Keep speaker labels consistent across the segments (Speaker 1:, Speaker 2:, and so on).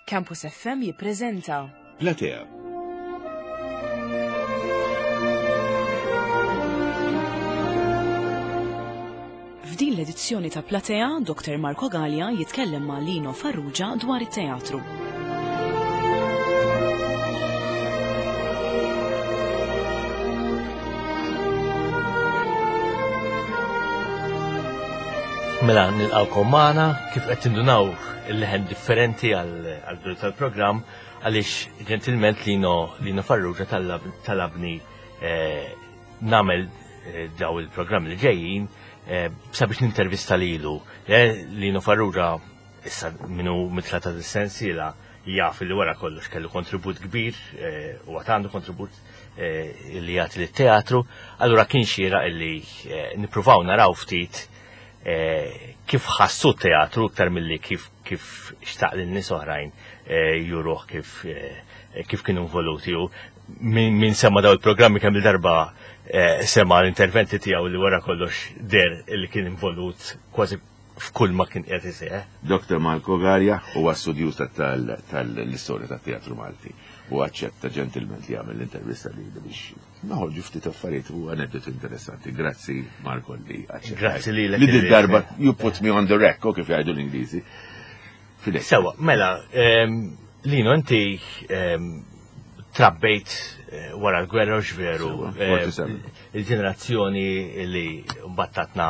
Speaker 1: Campus FM jippreżenta.
Speaker 2: Platea.
Speaker 1: F'din l-edizzjoni ta' Platea, Dr. Marco Galea jitkellem ma' Lino Farrugia dwar it-teatru.
Speaker 3: Mela nilqawkom magħna kif qed tindunaw il-leħen differenti għal-bidu tal-programm għaliex ġentilment Lino Lino Farrugia talabni eh, nagħmel eh, daw il-programm li ġejjin eh, sabiex nintervista lilu. Lino Farrugia issa minu mitla ta' sensiela jaf li wara kollox kellu kontribut kbir u għad għandu kontribut li jagħti lit-teatru, allura kien xieraq illi nippruvaw naraw ftit kif ħassu t-teatru iktar milli kif kif xtaq lil nies oħrajn juruh kif kif kienu involuti u min sema daw il-programmi kemm il-darba sema l-interventi tiegħu li wara kollox der li kien involut kważi f'kull ma kien qiegħed iseħħ.
Speaker 2: Dr. Marco Garia huwa studjuż tal-istorja tat-teatru Malti u aċċetta ġentilment li jagħmel l-intervista li biex noħorġu ftit affarijiet u aneddoti interessanti. Grazzi Marco li aċċetta.
Speaker 3: Grazzi lilek.
Speaker 2: Li din darba you put me on the rack, u kif jgħidu l-Ingliżi.
Speaker 3: Sewa, mela, Lino, inti trabbejt eh, wara l-gwerra u xveru. Il-ġenerazzjoni li battatna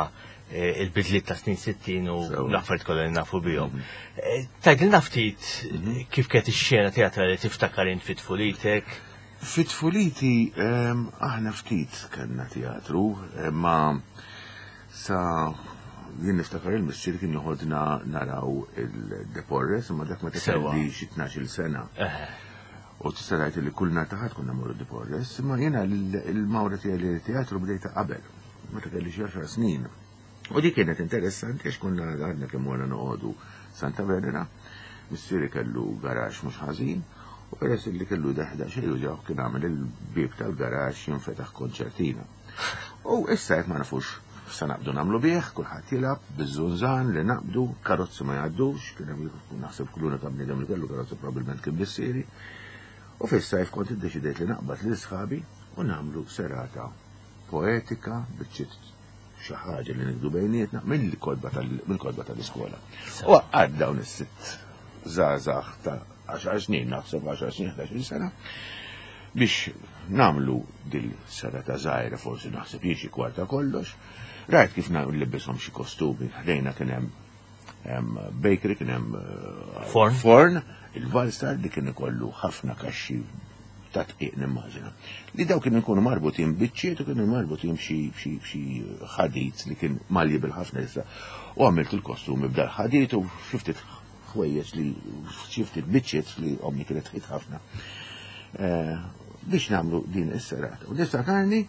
Speaker 3: eh, il-bidliet ta' snin 60 u l-affarijiet kollha li nafu bihom. Mhm. Eh, Tgħidilna ftit mhm. kif kienet ix-xena teatrali tiftakar int fit tfulitek?
Speaker 2: Fit tfuliti ehm, aħna ftit kellna teatru, eh, ma sa jien niftakar il-missier kien joħodna naraw il-Deporres, imma dak meta kelli xi 12-il sena. U tista' tgħid li kull nhar ta' Ħadd konna mmorru Deporres, imma jiena l-mawra tiegħi li teatru bdejta qabel meta kelli xi għaxar snin. U dik kienet interessanti għax konna għadna kemm wara noqogħdu Santa Venera, missieri kellu garax mhux ħażin, u peress li kellu daħda xejn uġaw kien għamel il-bieb tal-garax jinfetaħ konċertina. U issa jekk ma nafux sa naqbdu nagħmlu bih, kulħadd jilgħab biż-żunżan li naqbdu, karozzi ma jgħaddux, kien hemm naħseb kull unika bniedem li kellu karozza probabbilment kien missieri. U fis-sajf kont iddeċidejt li naqbad lil sħabi u nagħmlu serata poetika biċċiet xi ħaġa li nikdu bejnietna mill-kotba mill-kotba tal-iskola. U għad dawn is-sitt żgħażagħ ta' 10 snin, naħseb 10 snin, 11 sena, biex namlu dil-serata żgħira forsi naħseb jien xi kwarta kollox. Rajt kif nlibbishom xi kostumi, ħdejna kien hemm bakery, kien hemm eh,
Speaker 3: forn,
Speaker 2: forn il-valstar li kien ikollu ħafna kaxxi ta' tqiq nimmaġina. Li daw kienu jkunu marbutin biċċiet u kienu marbutin b'xi ħadid li kien malji bil-ħafna issa. U għamilt il-kostumi b'dal ħadid u xi ftit ħwejjeġ li xi ftit biċċiet li ommi kienet tħit ħafna. Eh, biex nagħmlu din is-serata. U niftakarni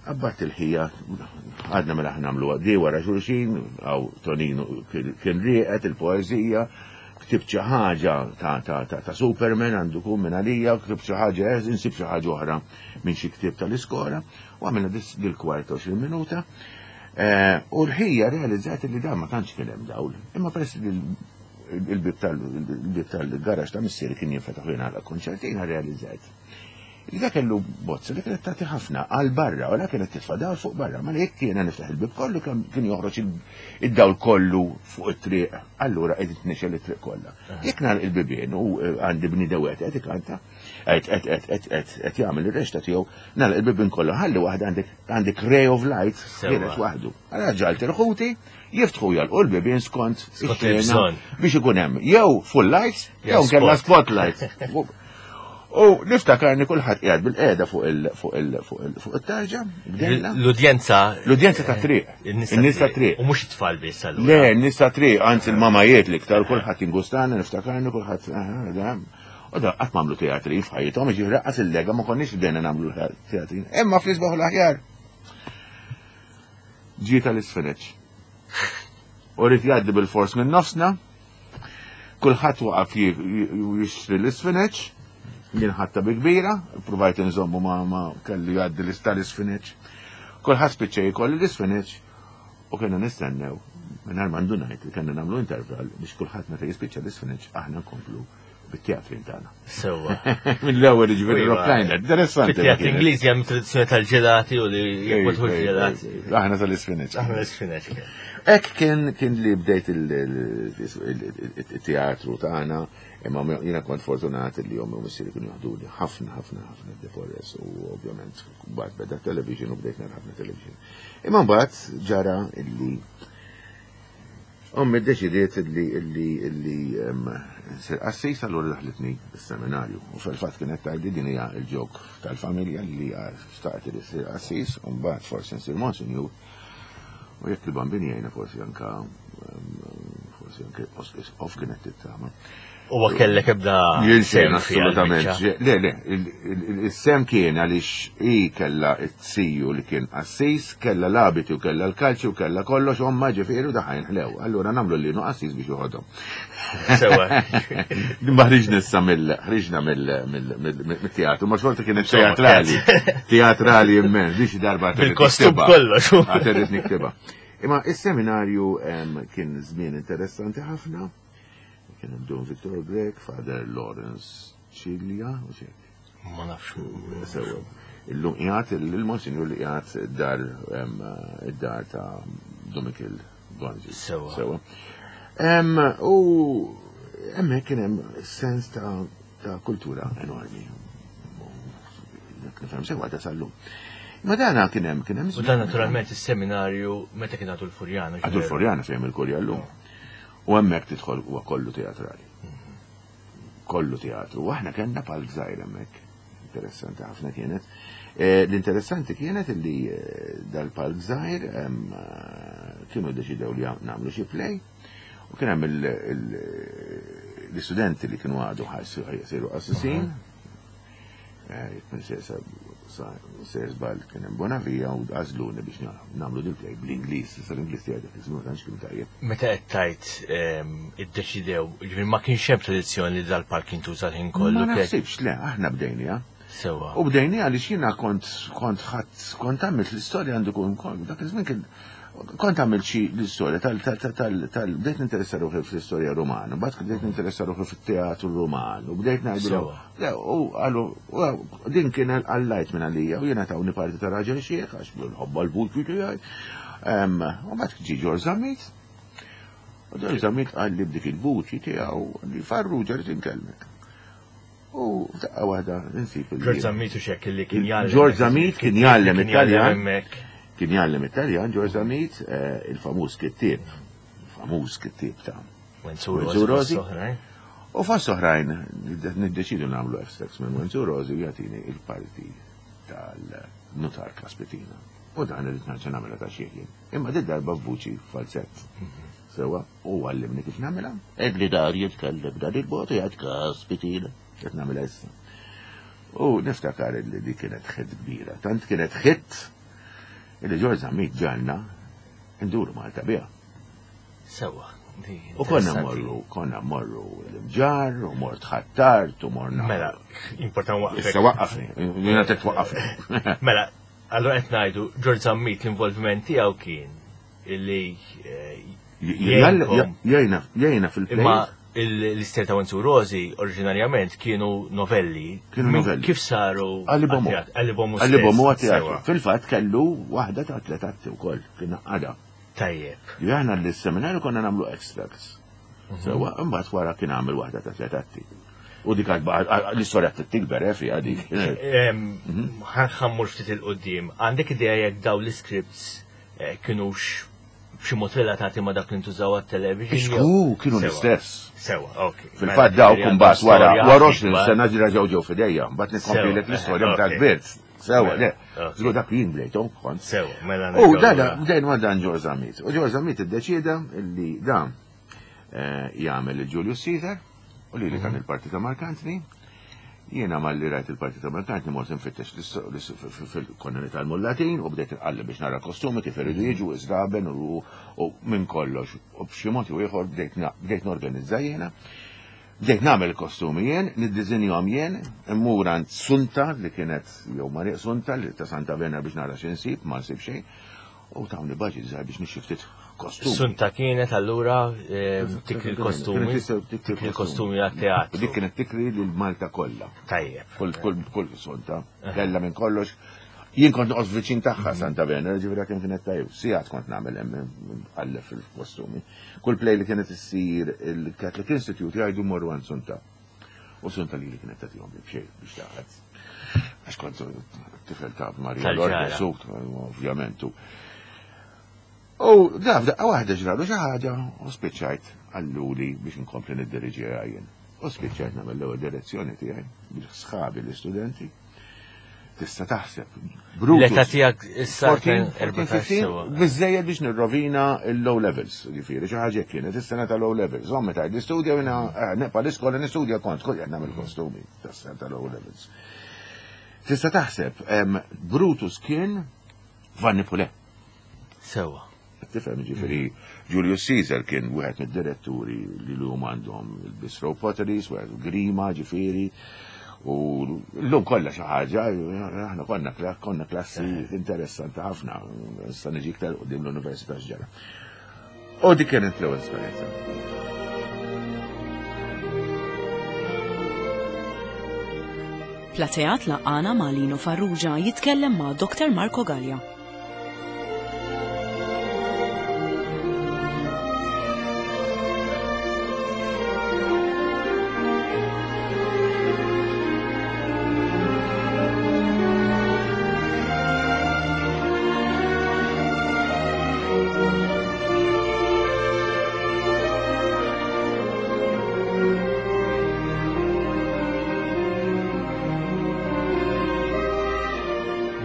Speaker 2: qabbadt il-ħija għadna mela aħna nagħmlu di wara xulxin, għaw Toninu kien rieqed il-poeżija, ktibt xi ħaġa ta' Superman għandu kun minn għalija, ktibt xi ħaġa eh, insib xi ħaġa oħra minn xi ktieb tal-iskola, u għamilna dil-kwart 20 minuta. Eh, u l-ħija realizzat li dan ma tantx kien hemm dawl, imma peress li il-bib tal-garax ta' missieri kien jinfetaħ u jingħalaq konċertina realizzat Li dak kellu bozza li kienet tagħti ħafna għal barra u la kienet titfa' dawl fuq barra, ma li jekk jiena niftaħ il-bib kollu kien joħroġ id-dawl kollu fuq it-triq, allura qed tnixel it-triq kollha. Jekk nagħlaq il-bibien u eh, għandi bniedem wieħed qed ikanta, qed qed qed qed qed qed jagħmel ir-rexta tiegħu, nagħlaq il-bibien kollha ħalli waħda għandek għandek ray of light ħiereġ waħdu. Allura ġalt il-ħuti jiftħu jalqu l-bibien skont ix-xena biex ikun hemm jew full lights jew kellha spotlights. U niftakarni kulħadd qiegħed bil-qiegħda fuq il fuq il fuq il fuq it-tarġa, bdejna.
Speaker 3: L-udjenza.
Speaker 2: L-udjenza ta' triq. In-nies ta' triq.
Speaker 3: U mhux it-tfal biss
Speaker 2: allura. Le, n-nies ta' triq, anzi l-mamajiet l-iktar kulħadd ingustana, niftakarni kulħadd. U da qatt m'għamlu teatri f'ħajjithom, jiġifieri raqqas il-lega ma konniex bdejna nagħmlu teatri. Imma fl-isbaħ l-aħjar. Ġie tal-isfeneċ. U rrid jgħaddi bil-fors minn nofsna, Kulħadd waqaf jixtri l-isfineċ, jien ħadta bi kbira, provajt inżommu ma, ma kelli jgħaddi l isfineċ. Kulħadd spiċċa jikolli l-isfineċ u kienu nistennew mingħajr ma ndunajt li kellna nagħmlu intervall biex kulħadd meta jispiċċa l-isfineċ aħna nkomplu Bit-teatrin tagħna.
Speaker 3: Sewwa.
Speaker 2: Mill-ewwel jiġifieri rock liner. Interessanti.
Speaker 3: Fit-teatri Ingliżi hemm tradizzjoni tal-ġelati u li jekk ġelati.
Speaker 2: Aħna tal-isfineċ.
Speaker 3: Aħna l-isfineċ.
Speaker 2: Hekk kien kien li bdejt il-teatru tagħna, imma jiena kont fortunat li ommi u missieri kienu jaħduli ħafna ħafna ħafna De Forest u ovvjament mbagħad beda television u bdejt nara ħafna television. Imma mbagħad ġara illi Ommi ddeċidiet illi illi illi nsir qassis allura daħlitni s-seminarju. U fil-fatt kienet tgħidli din hija l-ġok tal-familja li xtaqt li ssir qassis u mbagħad forsi nsir monsinjur. U jekk il-bambin jgħinna forsi anka forsi anke isqof kienet tittama.
Speaker 3: U ma kellek ebda.
Speaker 2: Jien xejn assolutament. Le, le, is-sem kien għaliex hi kellha t-siju li kien qassis, kellha l-abiti u kellha l-kalċi u kellha kollox, omma ġifieri u daħajn ħlew. Allura nagħmlu linu qassis biex joħodhom.
Speaker 3: Sewa.
Speaker 2: Ma ħriġna issa mill ħriġna mill-teatru, ma xorta kienet teatrali. Teatrali immens, biex darba.
Speaker 3: Bil-kostum kollox.
Speaker 2: Għaterrit niktibha. Imma is-seminarju kien żmien interessanti ħafna. Kien hemm Don Victor Grech, Father Lawrence Cilia, u xek.
Speaker 3: Ma nafx.
Speaker 2: Sewa. Illum qiegħed il-Monsinjur li qiegħed id-dar id-dar ta' Domikil Gonzi.
Speaker 3: Sewa.
Speaker 2: Sewa. U hemmhekk kien hemm sens ta' ta' kultura enormi. Nifhem sewa ta' sallum. Ma dana kien hemm kien hemm.
Speaker 3: U dan naturalment is-seminarju meta kien għadu l-Furjana.
Speaker 2: Għadu l-Furjana fejn il-Kurja llum. U hemmhekk tidħol huwa kollu teatrali. Kollu teatru. U aħna kellna palk żgħir hemmhekk. Interessanti ħafna kienet. Eh, l-interessanti kienet li eh, dal-palk żgħir eh, kienu deċidew li nagħmlu xi play u kien hemm l-istudenti li kienu għadu ħajsiru qassisin. Sejr żball kien hemm Bonavia u għażluni biex nagħmlu dil-play bl-Ingliż, issa l-Ingliż tiegħi dak iż-żmien tantx kien tajjeb.
Speaker 3: Meta qed tgħid ehm, iddeċidew, jiġifieri ma kienx hemm tradizzjoni li dal-park jintuża l-ħin kollu.
Speaker 2: Ma naħsibx le, aħna bdejniha.
Speaker 3: Sewwa.
Speaker 2: U bdejniha għaliex jiena kont kont ħadd kont għamilt l-istorja għandu kun dak iż-żmien kien kont għamilt xi l-istorja tal tal tal bdejt ninteressa ruħi fl-istorja Rumana, mbagħad bdejt ninteressa ruħi fit-teatru Ruman u bdejt ngħidu Le, u għalu, din kien għallajt minn għalija, u jena tawni parti ta' raġel xieħ, għax nħobba l-vuċi tiegħi. U bat ġi Ġorġ Zammit, u Ġorġ Zammit għalli b'dik il-vuċi tiegħu li farruġa li tinkellmek. U daqqa waħda nsib il
Speaker 3: Ġorġ Zammit u xek li kien jgħallem.
Speaker 2: Ġorġ Zammit kien jgħallem Italjan. Kien jgħallem Italjan, Ġorġ Zammit, eh, il-famuż kittieb, il-famuż kittieb ta'
Speaker 3: Wenzu Rosi.
Speaker 2: U fost oħrajn niddeċidu nagħmlu extracts minn Wenzu Rosi u jagħtini il-parti tal-nutar Kaspitina. U dan irid nerġa' nagħmilha ta' xieħ jien. Imma di darba f'vuċi falsett. Sewa, u għallimni kif nagħmilha. Edli dar jitkellem dan il-mod jgħid Kaspitina. Qed nagħmilha issa. U niftakar li di kienet ħit kbira. Tant kienet ħit illi Ġorġ Zammit ġalna nduru Malta biha.
Speaker 3: Sewa.
Speaker 2: U konna morru, konna morru l-imġar, u mort ħattart, u morna.
Speaker 3: Mela, important waqfek.
Speaker 2: Issa waqqafni, jina tek waqqafni.
Speaker 3: Mela, allora qed ngħidu George Zammit l-involviment tiegħu kien illi eh,
Speaker 2: jgħinna jgħinna fil-play.
Speaker 3: Imma l-istel ta' Wenzu Rosi oriġinarjament kienu novelli.
Speaker 2: Kienu novelli.
Speaker 3: Kif saru?
Speaker 2: Għalibomu.
Speaker 3: Għalibomu.
Speaker 2: Għalibomu Fil-fatt kellu waħda ta' tlet atti wkoll, kien għada.
Speaker 3: Tajjeb.
Speaker 2: Li aħna l-seminarju konna nagħmlu extracts. Mhm. Sewa, imbagħad wara kien għamel waħda ta' tliet atti. U dik l-istorja tikber eh, fiha dik.
Speaker 3: Mhm. Ħammur ftit il-qudiem. Għandek idea jekk daw l-scripts eh, kienux b'xi mod relatati ma' dak li ntużaw għat-television?
Speaker 2: Xku, kienu l-istess.
Speaker 3: Sewa, ok.
Speaker 2: Fil-fatt
Speaker 3: Mela,
Speaker 2: daw
Speaker 3: ġifieri
Speaker 2: kumbat wara wara 20 sena ġira ġew ġew fidejja, mbagħad nikkomplilek
Speaker 3: eh,
Speaker 2: l-istorja meta kbirt. Sewa, le. Żgur dak jien bdejthom kont.
Speaker 3: Sewa, mela.
Speaker 2: U dada, bdejn ma dan Ġorġ Zammit. U Ġorġ Zammit iddeċieda li dan eh, jagħmel il-Julius Caesar u li li kan mhm. il-parti ta' Mark Anthony. Jiena malli rajt il-parti ta' Mark Anthony mort infittex fil-konna nitgħallmu l-Latin u bdejt inqalleb biex nara kostumi kif iridu mhm. jiġu iżraben u minn kollox. U b'xi mod jew ieħor bdejt norganizza jiena. Bdejt nagħmel il-kostumi jien, niddiżinjahom jien, immur għand Sunta li kienet jew Maria Sunta li ta' Santa Venera biex nara xi nsib, ma nsib xejn. U tawni budget żgħar biex nixtri ftit kostumi.
Speaker 3: Sunta kienet allura eh, tikri l-kostumi. Tikri l-kostumi għat-teatru.
Speaker 2: Dik kienet tikri lil Malta kollha.
Speaker 3: Tajjeb.
Speaker 2: Kull kull kull sunta. Kella minn kollox. Jien kont noqgħod viċin tagħha mhm. Santa Venera, ġifieri kemm kienet tajjeb. Sigħat kont nagħmel hemm għallef fil-kostumi. Kull play li kienet issir il-Catholic Institute jgħidu morru għand Sunta. U Sunta li li kienet tagħtihom li b'xejn biex taħat. Għax kont tifel ta' Marija Lourdes, ovvjament. U daf daqqa waħda ġralu xi ħaġa u spiċċajt għalluli biex inkompli niddiriġi jien. U spiċċajt nagħmel l-ewwel direzzjoni tiegħi bil-sħabi l-istudenti. Tista' taħseb.
Speaker 3: L-età tiegħek issa
Speaker 2: 14, biżejjed biex nirrovina l-low levels, ġifieri xi ħaġa kienet is-sena ta' low levels. Ommi tgħid l-istudja jiena eh, nepa l-iskola nistudja kont kull qed nagħmel kostumi tas-sena ta' low levels. Tista' taħseb, Brutus kien Vanni Pule.
Speaker 3: Sewa.
Speaker 2: Tifhem ġifieri Julius Caesar kien wieħed mid-diretturi li llum għandhom il-Bistro Potteries, wieħed Grima ġifieri. U l-lum kollha xi ħaġa, aħna konna konna klassi eh. interessanti ħafna, issa niġi iktar qudiem l-Università x'ġara. U dik kienet l-ewwel esperjenza.
Speaker 1: Plateat laqana ma' Lino Farrugia jitkellem ma' Dr. Marco Gallia.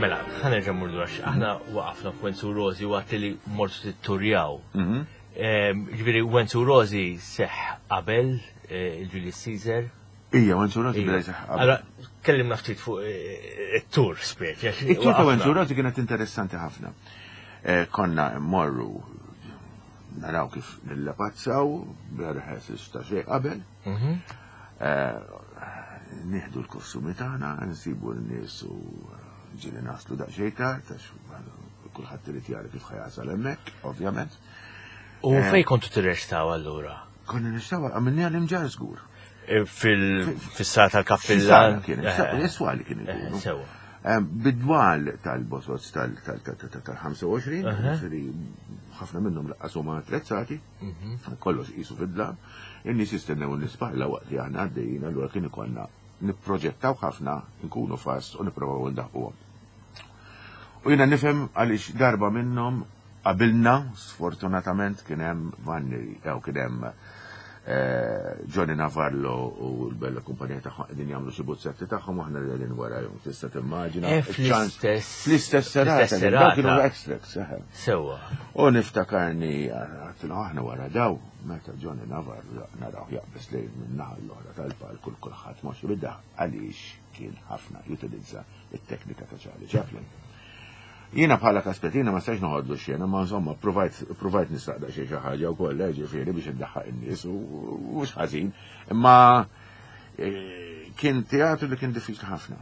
Speaker 3: Mela, ħa nerġa' mmur lura aħna waqafna f'Wenzu Rosi waqt li mortu titturjaw. Mhm. Ġifieri Wenzu Rosi seħ qabel eh, il-Julius Caesar.
Speaker 2: Ija, Wenzu Rosi beda jseħ qabel.
Speaker 3: Allora, kellimna ftit fuq eh, it-tur speċi.
Speaker 2: It-tur ta' Wenzu Rosi kienet interessanti ħafna. Eh, konna mmorru naraw kif nillapazzaw, berħes ta' xejn qabel. Mhm. Nieħdu l-kostumi tagħna, nsibu n-nies u ġieli naslu daqsxejn tard għax kulħadd irid jara kif ħajasal hemmhekk, ovvjament.
Speaker 3: U eh, fejn kontu tirrestaw allura?
Speaker 2: Konna nirrestaw għamilni għal-imġar żgur.
Speaker 3: Eh, fil-sala tal-kappillan?
Speaker 2: Kien, eh. Is-swali kien ikunu. Sewa. Bidwal tal-bosots tal-25, ħafna minnhom laqqas huma attrezzati, mhm. kollox qisu fid-dlam, in-nies jistennew n-nispalla waqt li aħna għaddejjin, allura kien ikollna nipproġettaw ħafna, nkunu fast u nipprovaw ndaħquhom. U jiena nifhem għaliex darba minnhom qabilna, sfortunatament kien hemm Vanni, jew kien hemm eh, Johnny Navarro u l-bella kumpanija tagħhom qegħdin jagħmlu xi buzzetti tagħhom aħna qegħdin warajhom. Tista' timmaġina.
Speaker 3: Eh, fl-istess
Speaker 2: fl-istess serata. Dawk kienu extracts, eh.
Speaker 3: Sewwa.
Speaker 2: U niftakarni għattilhom aħna wara daw meta Johnny Navarro naraw jaqbeż lejn minn naħa l-oħra tal-palk u kulħadd moxi bidha għaliex kien ħafna jutilizza it-teknika ta' Charlie Chaplin. Jiena bħala Kaspetina ma stajx noħodlu xena, ma insomma provajt provajt nistaqda xi xi ħaġa wkoll, eh, ġifieri biex iddaħħaq in-nies u mhux ħażin. Imma eh, kien teatru li kien diffiċli ħafna.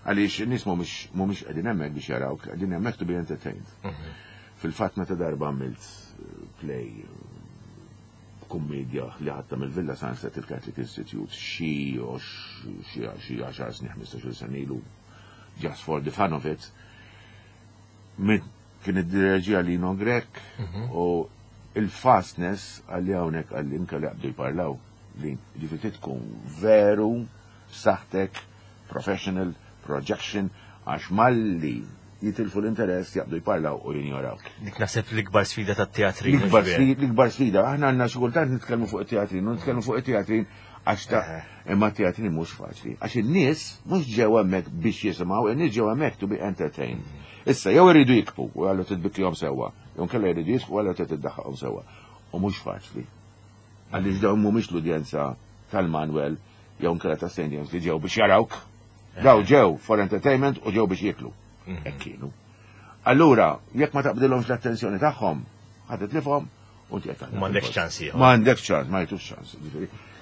Speaker 2: Għaliex in-nies mhumiex mhumiex qegħdin hemmhekk biex jarawk, qegħdin hemmhekk to be entertained. Mhm. Fil-fatt meta darba għamilt eh, play kummedja li ħadta mill-Villa Sunset il-Catholic Institute xi xi xi 10 snin 15 sena ilu just for the fun of it kien id-direġija Lino Grech mhm. u il-fastness għalli hawnhekk għalli inka li għabdu jparlaw li ġifieri tkun veru b'saħħtek professional projection għax malli jitilfu l-interess jaqbdu jparlaw u jinjorawk.
Speaker 3: Dik naħseb l-ikbar sfida tat-teatrin.
Speaker 2: L-ikbar sfida, aħna għandna xi kultant nitkellmu fuq it-teatrin, u nitkellmu fuq it-teatrin għax ta' imma t-teatrin mhux faċli. Għax in-nies mhux ġew hemmhekk biex jisimgħu, in-nies ġew hemmhekk to be entertained. Issa jew iridu jikbu u għallu titbikkihom sewwa, jew nkella jridu jisku għallu titiddaħħaqhom sewwa. U mhux faċli. Għaliex dawn mhumiex l-udjenza tal-Manuel jew nkella ta' St. James li ġew biex jarawk. Daw ġew for entertainment u ġew biex jieklu. Mhm. Hekk kienu. Allura, jekk ma taqbdilhomx l-attenzjoni tagħhom, ħa titlifhom u inti qed
Speaker 3: M'għandekx ċans ieħor.
Speaker 2: M'għandekx ċans, ma jtux ċans.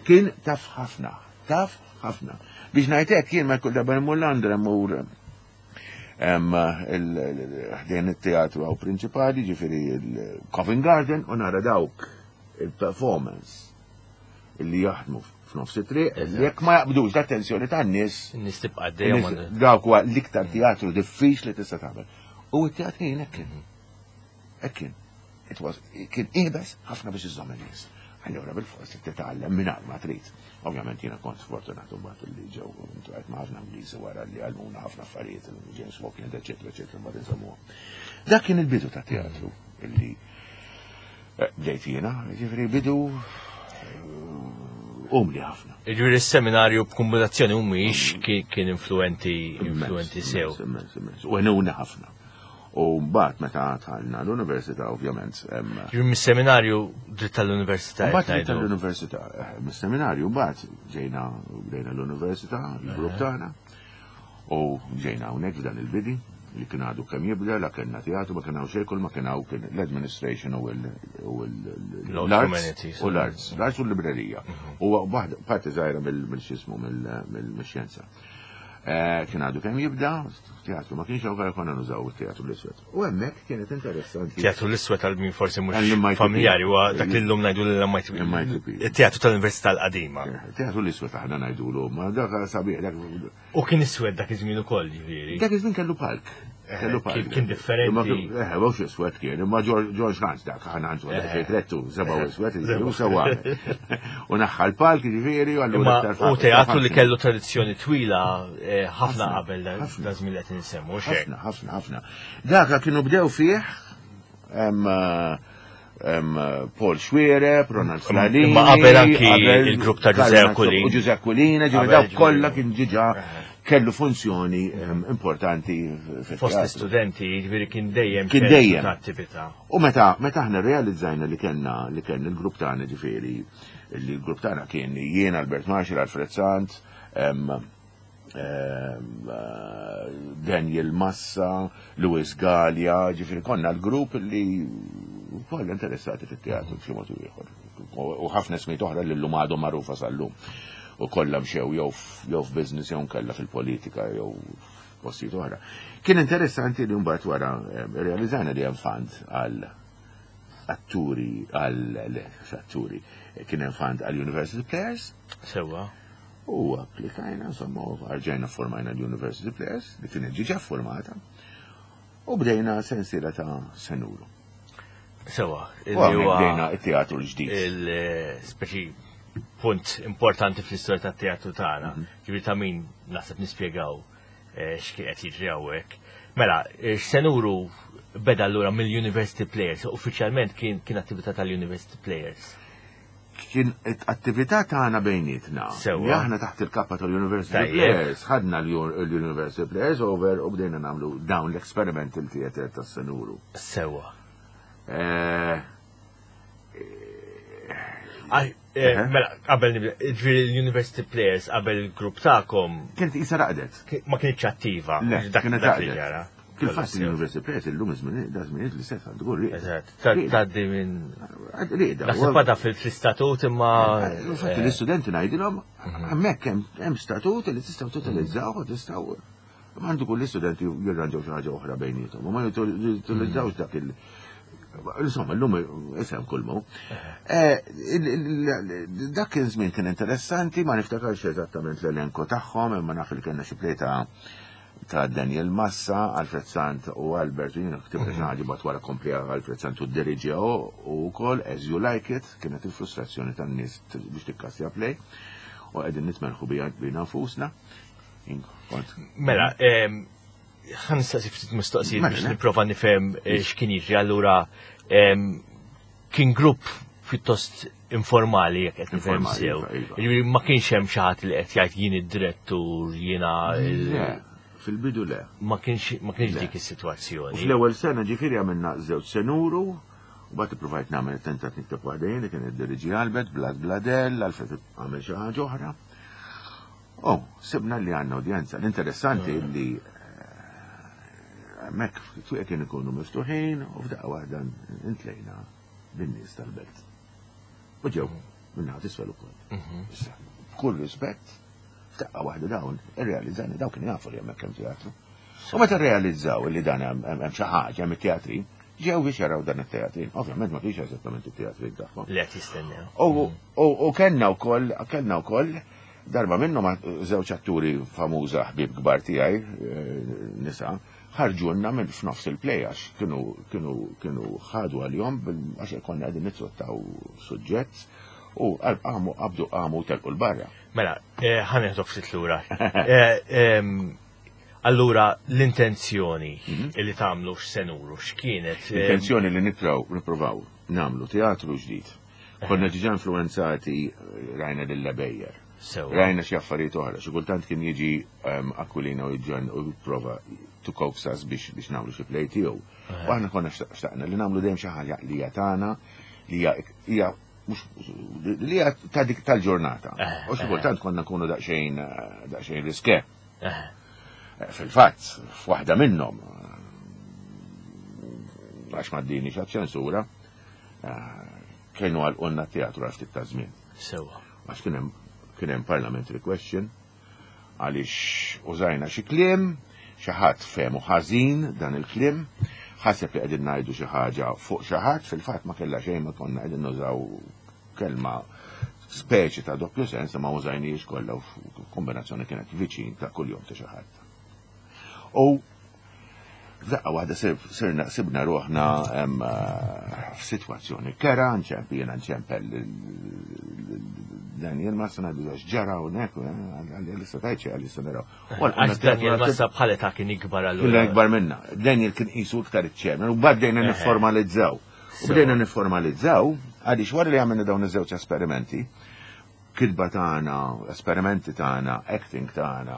Speaker 2: Kien taf ħafna, taf ħafna. Biex ngħid hekk jien ma jkun darba mmur Londra mmur. Ħdejn it-teatru hawn prinċipali, ġifieri il-Covent Garden, u nara dawk il-performance li jaħdmu f'nofs it-triq, li jekk ma jaqbdux l-attenzjoni tan-nies.
Speaker 3: In-nies tibqa' għaddejja.
Speaker 2: Dawk huwa l-iktar teatru diffiċli tista' tagħmel. U t-teatrin hekk kien. Hekk kien. It was, kien iebes ħafna biex iżżomm in-nies. Allura bil-fors titgħallem mingħajr ma trid. Ovvjament jiena kont sfortunat mbagħad li ġew intrajt ma' ħafna Ingliżi wara li għallmuna ħafna affarijiet, James Falkland, eċetera, eċetera, mbagħad insemmuhom. Dak kien il-bidu ta' teatru illi eh, bdejt jiena, ġifieri bidu eh, umli ħafna.
Speaker 3: Ġifieri s-seminarju b'kombinazzjoni humiex kien influenti influenti sew.
Speaker 2: U għenuna ħafna. U mbagħad meta dħalna l-università ovvjament.
Speaker 3: Ġifieri mis-seminarju dritt tal-università.
Speaker 2: Mbagħad dritt tal-università. Eh, mis-seminarju mbagħad ġejna bdejna l-università, il-grupp tagħna. U ġejna hawnhekk f'dan il-bidi li kien għadu kemm jibda, la kellna teatru, ma kien hawn xejn, kull ma kien hawn kien l-administration u l-arts. U l-arts, l-arts u l-librerija. Mhm. U parti żgħira mill-xismu mill-xjenza. Eh, kien għadu kemm jibda, teatru ma kienx hawn konna nużaw it-teatru l-iswed. U hemmhekk kienet interessanti.
Speaker 3: Teatru l-iswed għal min forsi mhux familjari huwa dak li llum ngħidu l-MITP. Teatru tal-Università l-qadima.
Speaker 2: Eh, teatru l-iswed aħna ngħidulu, ma dak sabiħ dak.
Speaker 3: U kien iswed dak iż-żmien ukoll ġifieri.
Speaker 2: Dak iż-żmien kellu palk.
Speaker 3: Eh, kellu palk. Kien differenti.
Speaker 2: Eh, mhux iswed kien, imma George Hans dak aħna għandu dak xejn trettu, seba' iswed, u sewa. U naħħa l-palk ġifieri u
Speaker 3: allura. U teatru li kellu tradizzjoni twila eh, ħafna qabel da żmien li qed insemmu.
Speaker 2: Ħafna, ħafna, ħafna. Dak kienu bdew fih Paul Xuereb, Ronald Flalini.
Speaker 3: Ma qabel anki il-grupp ta' Giuseppe Aquilina.
Speaker 2: U Giuseppe Aquilina, ġifieri dawk kollha kien ġiġa kellu funzjoni importanti
Speaker 3: fost l-istudenti, ġifieri kien dejjem
Speaker 2: kien dejjem
Speaker 3: attività.
Speaker 2: U meta meta aħna rrealizzajna li kellna li kellna l-grupp tagħna ġifieri li l-grupp tagħna kien jien Albert Marshall, Alfred Sant, Daniel Massa, Louis Gallia, ġifieri konna l-grupp li kollha interessati fit-teatru b'xi mod ieħor. U ħafna ismijiet oħra li llum għadhom magħrufa sal-lum. U kollha mxew jew f'business jew nkella fil-politika jew postijiet oħra. Kien interessanti li mbagħad wara eh, realizzajna li hemm fund għal atturi għal atturi kien hemm fund għal University Players.
Speaker 3: Sewwa.
Speaker 2: U applikajna, insomma, rġajna formajna l-University Players li kienet ġiġa formata u bdejna sensiela ta' senuru.
Speaker 3: Sewa,
Speaker 2: bdejna it-teatru l-ġdid.
Speaker 3: Il-speċi eh, punt importanti fl-istorja tat-teatru tagħna. Mhm. Ġifieri ta' min naħseb nispjegaw eh, x'kien qed jiġri hawnhekk. Mela, eh, x'senuru beda allura mill-University Players, uffiċjalment kien kien attività tal-University Players.
Speaker 2: Kien attività tagħna bejnietna. Li aħna taħt il-kappa tal-University Players, ħadna l-University Players over u bdejna nagħmlu dawn l-experimental theater tas-senuru.
Speaker 3: Sewa. Eh, Eh, mela, qabel nibda, ġifieri l-University Players qabel il-grupp tagħkom.
Speaker 2: Kienet isa raqdet.
Speaker 3: Ma kienx attiva.
Speaker 2: Le, kienet raqdet. Kif-fatt l-University Players illum iż-żmien da żmien li seta' tqul
Speaker 3: li. Eżatt, tgħaddi minn. Rieda. Naħseb għadha fil-istatut imma.
Speaker 2: Infatti eh, l-istudenti ngħidilhom mhm. hemmhekk hemm statut li tistgħu tutilizzaw u tistgħu Għandu kull istudenti jirranġaw xi ħaġa oħra bejnietom, u ma jutilizzawx dak il- Insomma, l-lum isem kull mu. Eh, dak kien żmien kien interessanti, ma niftakarx eżattament l-elenko tagħhom, imma naf li kellna xi plejta ta' Daniel Massa, Alfred Sant u Albert, u jiena ktibna xi ħaġa bat wara komplija Alfred Sant u diriġew u wkoll As You Like It, kienet il-frustrazzjoni tan-nies biex tikkasja play u qegħdin nitmerħu bija nfusna.
Speaker 3: Mela, ħan nistaqsi ftit mistoqsijiet biex mela. nipprova nifhem eh, x'kien jiġri. Allura kien grupp pjuttost informali jekk qed nifhem sew. Iva, iva. Jiġifieri ma kienx hemm xi ħadd li qed jgħid jien id-direttur, jiena
Speaker 2: Fil-bidu le.
Speaker 3: Ma kienx ma kienx dik is-sitwazzjoni.
Speaker 2: Fl-ewwel sena ġifieri għamilna żewġ senuru, u bat ippruvajt nagħmel tentat nikteb waħda jien li kien id-diriġi Albert, Blad Bladel, Alfred għamel xi ħaġa oħra. Oh, sibna li għandna udjenza. L-interessanti mm. li eh, hemmhekk twieq kien ikunu miftuħin u f'daqqa waħda intlejna bin-nies tal-belt. U ġew minna tisfel ukoll. Mhm. Issa, b'kull rispett, f'daqqa waħda dawn, irrealizzani dawn kienu jafu li hemmhekk hemm teatru. U meta rrealizzaw li dan hemm xi ħaġa hemm it-teatrin, ġew biex jaraw dan it-teatrin. Ovvjament ma kienx eżattament it-teatrin tagħhom.
Speaker 3: Li qed jistennew.
Speaker 2: U kellna wkoll kellna wkoll darba minnhom żewġ atturi famuża ħbieb kbar tiegħi eh, nisa ħarġulna minn f'nofs il-play għax kienu kienu kienu ħadu għalihom għax konna qegħdin nittrattaw suġġett u qamu qabdu qamu telqu l-barra.
Speaker 3: Mela, eh, ħa neħdok ftit lura. Eh, allura l-intenzjoni mhm. li tagħmlu x'senuru x'kienet?
Speaker 2: L-intenzjoni li nitraw nippruvaw nagħmlu teatru ġdid. Konna ġiġa influenzati eh, rajna lil Bejjer. Rajna xi affarijiet oħra, xi kultant kien jiġi ehm, Aquilina u ġon u jipprova to coax us biex biex nagħmlu xi play tiegħu. U aħna konna xtaqna li nagħmlu dejjem xi ħaġa li hija tagħna li hija li hija ta' dik tal-ġurnata. Eh, u xi eh. kultant konna nkunu daqsxejn eh, daqsxejn riske. Fil-fatt, f'waħda minnhom għax ma ddini ċensura, kienu għalqulna teatru għal ftit ta' żmien.
Speaker 3: Sewa.
Speaker 2: Għax kien hemm kien hemm parliamentary question għaliex użajna xi kliem, xi ħadd fehmu ħażin dan il-kliem, ħaseb li qegħdin ngħidu xi ħaġa fuq xi ħadd, fil-fatt ma kellha xejn ma konna qegħdin nużaw kelma speċi ta' doppju sens ma użajniex kollha u kombinazzjoni kienet viċin ta' kuljum ta' xi ħadd. U F'daqqa waħda sirna sibna ruħna eh, f'sitwazzjoni kera, nċemp jiena nċempel Daniel Massa ngħidu għax ġara hawnhekk, eh, għalli tajċi għalli issa naraw.
Speaker 3: Għax Daniel Massa bħala ta' kien ikbar
Speaker 2: allura. Kien ikbar minna. Daniel kien qisu iktar iċ-chairman u bdejna eh. nifformalizzaw. U bdejna nifformalizzaw għaliex wara li għamilna dawn iż-żewġ esperimenti, kitba tagħna, esperimenti tagħna, acting tagħna,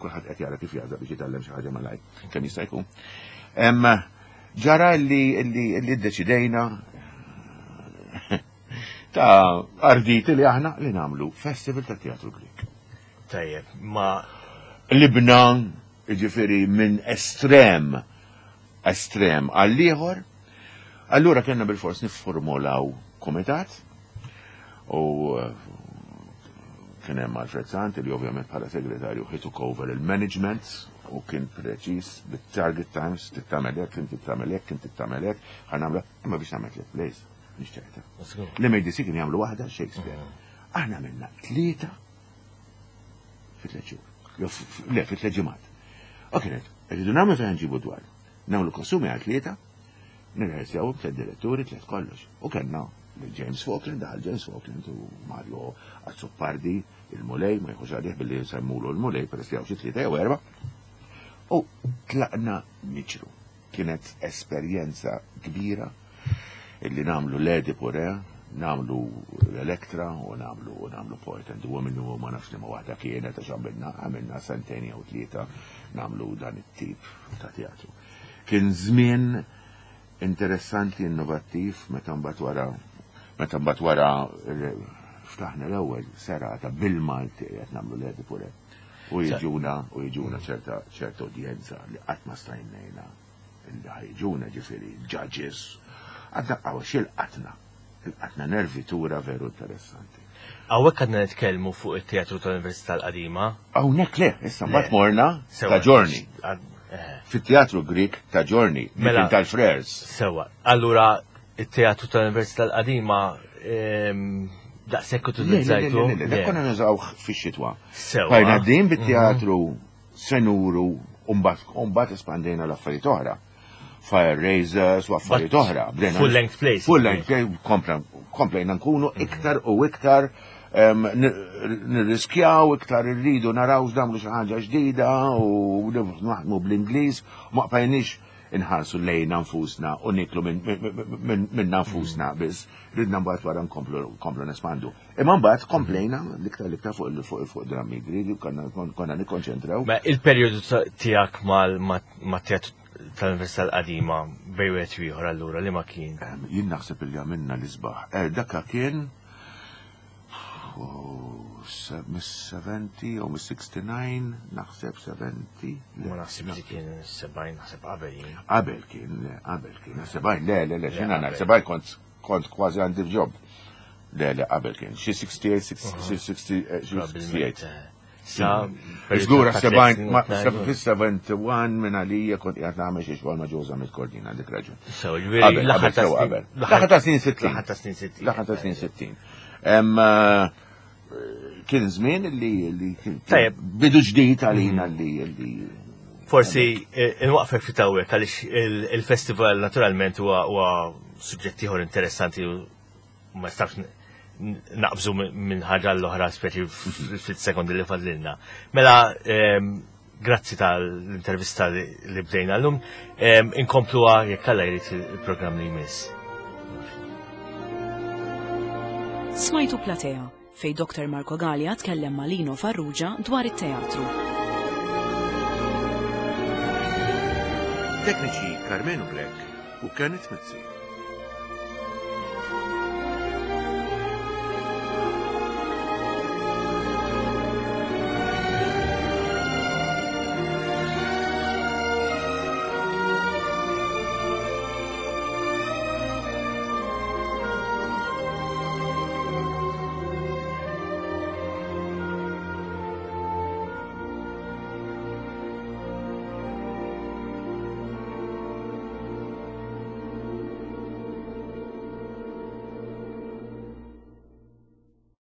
Speaker 2: kulħadd qed jara kif jażaq biex jitgħallem xi ħaġa malaj, kemm jista' jkun. Ġara li li ddeċidejna ta' arditi li aħna li nagħmlu festival ta' teatru Grek.
Speaker 3: Tajjeb, ma
Speaker 2: Libna, ġifieri minn estrem estrem għall-ieħor, allura kellna bil-fors nifformulaw komitat u eh, kien hemm Alfred Sant li ovvjament bħala segretarju he took over il-management u kien preċiż bit-target times, tittamel hekk, inti tagħmel hekk, inti tagħmel hekk, ħa nagħmlu imma biex nagħmel tliet plays, nixtieqta. L-MADC kien jagħmlu waħda Shakespeare. Mm. Aħna għamilna tlieta fi tliet xhur. Le, fi tliet ġimgħat. U kienet, rridu nagħmlu fejn nġibu dwar. Nagħmlu kostumi għal tlieta, nirrehersjaw tliet diretturi, tliet kollox. U kellna James Falkland, daħal James Falkland u Mario Azzopardi, il-Mulej, ma jħux għalih billi nsemmulu l-Mulej, peress li hawn xi tlieta jew erba'. U tlaqna niġru. Kienet esperjenza kbira illi nagħmlu l-Edipu Re, nagħmlu l-Elektra u nagħmlu u nagħmlu Poet and the Woman u ma nafx liema waħda kienet għax għamilna għamilna sentejn jew tlieta nagħmlu dan it-tip ta' teatru. Kien żmien interessanti, innovattiv, meta mbagħad wara meta mbagħad wara ftaħna l-ewwel serata bil-Malti qed nagħmlu l-Edipu Re. U jiġuna u jiġuna ċerta ċerta udjenza li qatt ma stajnejna li ħajġuna ġifieri judges. Għadna għaw xil-qatna. Il-qatna nervitura veru interessanti.
Speaker 3: Hawnhekk għadna nitkellmu fuq it-Teatru tal-Università l-Qadima.
Speaker 2: Hawnhekk le, issa mbagħad morna ta' ġorni. Eh. Fit-Teatru Grik ta' ġorni, mela tal-Frers.
Speaker 3: Sewa. Allura it-Teatru tal-Università l-Qadima ehm, daqshekk utilizzajtu.
Speaker 2: Le, le, konna nużawh fix-xitwa. Sewa. Bajna din bit-teatru senuru u mbagħad espandejna l-affarijiet oħra. Fire Raisers u affarijiet oħra.
Speaker 3: Full length plays.
Speaker 2: Full length play, komplejna nkunu mhm. iktar u iktar nirriskjaw, iktar irridu naraw x'nagħmlu xi ħaġa ġdida u naħdmu bl-Ingliż, ma qbajniex inħarsu lejna nfusna u niklu minna nfusna mhm. biss, ridna mbagħad wara nkomplu nespandu. Imma mbagħad komplejna l-iktar l-iktar fuq fuq drammi Griegi konna nikkonċentraw.
Speaker 3: Ma il-perjodu tiegħek mal-teatru tal-Università l-qadima bej wieħed u ieħor allura li ma kien?
Speaker 2: Jien naħseb li għamilna l-isbaħ. Eh, dakka kien mis-70 jew mis-69, naħseb 70.
Speaker 3: Ma naħseb li kien 70, naħseb qabel.
Speaker 2: Qabel kien, qabel kien, 70, le, le, le, xina 70 kont Kont kważi għandi f'ġob. Le, le, qabel kien. Xi 68, 68.
Speaker 3: Sa
Speaker 2: Żgur fis-71 minn għalija kont qiegħed nagħmel xi xogħol ma' Ġoża mit-Kordina dik raġun.
Speaker 3: So, ġifieri l-aħħar ta'
Speaker 2: qabel. L-aħħar ta' snin 60.
Speaker 3: L-aħħar ta' snin 60.
Speaker 2: L-aħħar ta' snin 60. Eh, kien żmien li
Speaker 3: Tajjeb.
Speaker 2: bidu ġdid għalina mhm. li
Speaker 3: Forsi eh, inwaqfek fi tawwek għaliex il-festival naturalment huwa suġġett ieħor interessanti u ma nistax naqbżu minn ħaġa l-oħra speċi ftit sekondi li fadlilna. Mela, ehm, grazzi tal-intervista li bdejna l-lum, ehm, inkompluha jekk Alla jrid il-programm li jmiss.
Speaker 1: Smajtu Platea, fej Dr. Marco Galea tkellem ma' Lino Farrugia dwar it-teatru.
Speaker 2: Tekniċi Carmenu Grech u Kenneth Mizzi.